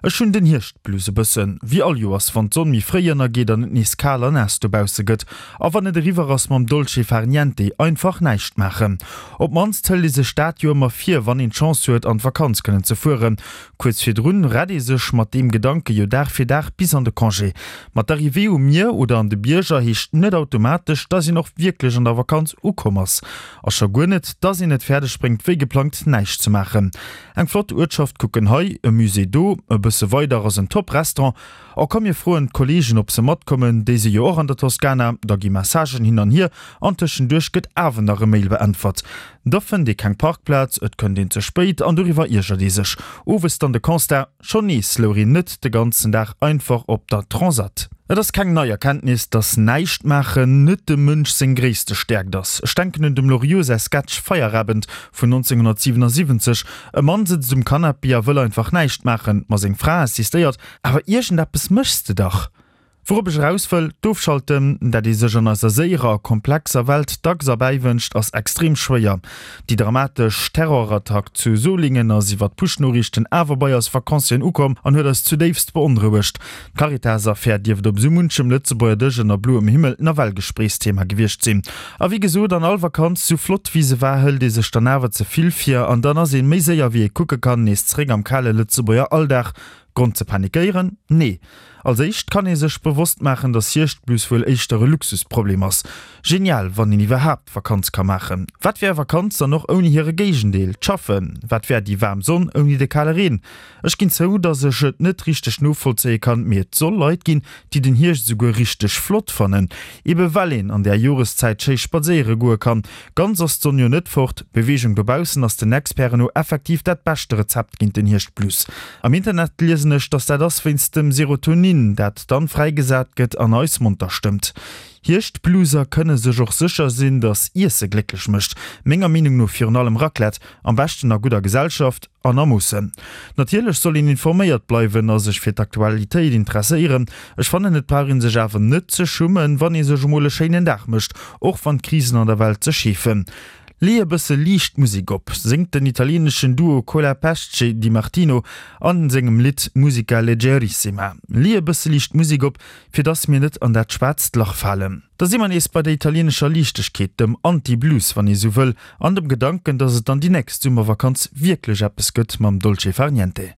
Ech hunn den Hierschtblues e bëssen, wéi all Joers, wann d'Sonn méi fréi ënnergeet an et nees kal a naass dobausse gëtt. A wann et eriwwer ass mam Dolce far niente, einfach näischt maachen. Op d'mannst hëlt ee sech dat jo ëmmer vir, wann een d'Chance huet, an d'Vakanz kënnen ze fueren. Kuerz virdrun rett ee sech mat deem Gedanke jo Dag fir Dag bis an de Congé. Ma d'Arrivée um Mier oder an de Bierger heescht net automatesch, dass een och wierklech an der Vakanz ukomm ass. A scho guer net, dass een et fäerdeg bréngt, wéi geplangt näischt ze maachen. Eng flott Uertschaft kucken hei, e Musée do, e bësse weider ass en top Restaurant. Oh komm mir froen d'Kollegen ob se matkommen, déi si jo och an der Toskana. Da gi Messagen hin an hier an tëschenduerch gëtt awer nach e Mail beäntwert. Da fënnt ee keng Parkplaz, et kënnt een ze spéit an doriwwer iergert ee sech. Owes dann de Constat, Schonn nees louch een net de ganzen Dag einfach op der Transat. Et ass keng nei Erkenntnis, dass näischt maachen net dem Mënsch seng gréisste Stäerkt ass. Ech denken un dem Loriot säi Sketch Feierabend vun 1977. E Mann sëtzt um Canapé a wëll einfach näischt maachen, ma seng Fra insistéiert, Awer iergendeppes méchs de dach! Wourop ech eraus wëll, D'Ofschalten, dat ee sech an eiser séierer a komplexer Welt dacks erbäiwënscht, ass extrem schwéier. Déi dramatesch Terrorattack zu Solingen ass iwwer d'Push-Noriichten awer bei eis Vacancieren ukomm an huet eis zudéifst beonrouegt. D'Caritas-Affär dierft op esou munchem Lëtzebuerger Dësch ënner bloem Himmel nawell Gespréichsthema gewiescht sinn. A wéi gesot, an all Vakanz, sou flott wéi se war, hëlt ee sech dann awer ze vill vir an dann ass een méi séier wéi ee kucke kann nees zeréck am kale Lëtzebuerger Alldag. Grond ze panikéieren? Nee. Als éischt kann ee sech bewosst maachen, dass Hierschtblues wuel éischter e Luxusproblem ass. Genial, wann een iwwerhaapt Vakanz ka maachen. Wat wär Vakanz dann och ouni hire Géigendeel, d'Schaffen? Wat wär déi waarm Sonn ouni de kale Reen? Ech ginn zou, dass ech et net richteg novollzéie kann, mee et soll Leit ginn, déi den Hierscht esouguer richteg flott fannen, ebe well een an där Joreszäit schéi spadséiere goe kann. Ganz ass d'Sonn jo net fort. Beweegung dobaussen ass den Experten no effektiv dat beschte Rezept géint den Hierschtblues. Am Internet liesen ech, dass dat ass wéinst dem Serotonin, dat dann fräigesat gëtt an eis monter stëmmt. Hierschtblueser kënne sech och sécher sinn, dass Iesse glécklech mécht. Menger Meenung no virun allem Raclette, am beschten a gudder Gesellschaft an a Moossen. Natierlech soll een informéiert bleiwen a sech fir d'Aktualitéit interesséieren. Ech fannen et brauch een sech awer net ze schummen, wann ee sech emol e schéinen Dag mécht, och wann d'Krisen an der Welt sech heefen. Lee e bësse liicht Musek op, séngt den italieneschen Duo Cola Pesce Di Martino a sengem Lidd Musica Leggerissima. Lee e bësse liicht Musek op, fir dass mir net an dat schwaarzt Lach falen. Da si mer nees bei der italienescher Liichtegkeet, dem Anti-Blues, wann ee sou wëll, an dem Gedanken, dass et dann déi nächst Summervakanz wierklech eppes gëtt mam Dolce far niente.